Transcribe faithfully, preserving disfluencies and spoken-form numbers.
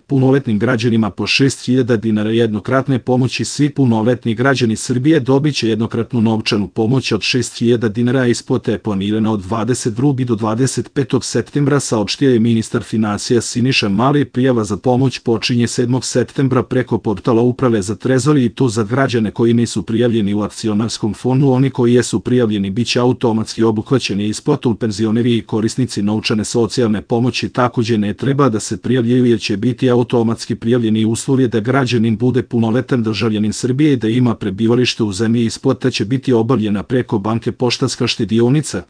punoletnim građanima po šest hiljada dinara jednokratne pomoći. Svi punoletni građani Srbije dobit će jednokratnu novčanu pomoć od šest hiljada dinara. Isplata je planirana od dvadeset drugog do dvadeset petog septembra, saopštio je ministar finansija Siniša Mali. Prijava za pomoć počinje sedmog septembra preko portala Uprave za trezor i to za građane koji nisu prijavljeni u akcionarskom fondu. Oni koji jesu prijavljeni biće automatski obuhvaćeni isplatom. Penzioneri i korisnici novčane socijalne pomoći takođe ne treba da se prijavljaju jer će biti automatski prijavljeni. Uslov je da građanin bude punoletan državljanin Srbije i da ima prebivalište u zemlji. Isplata će biti obavljena preko banke Poštanska štedionica.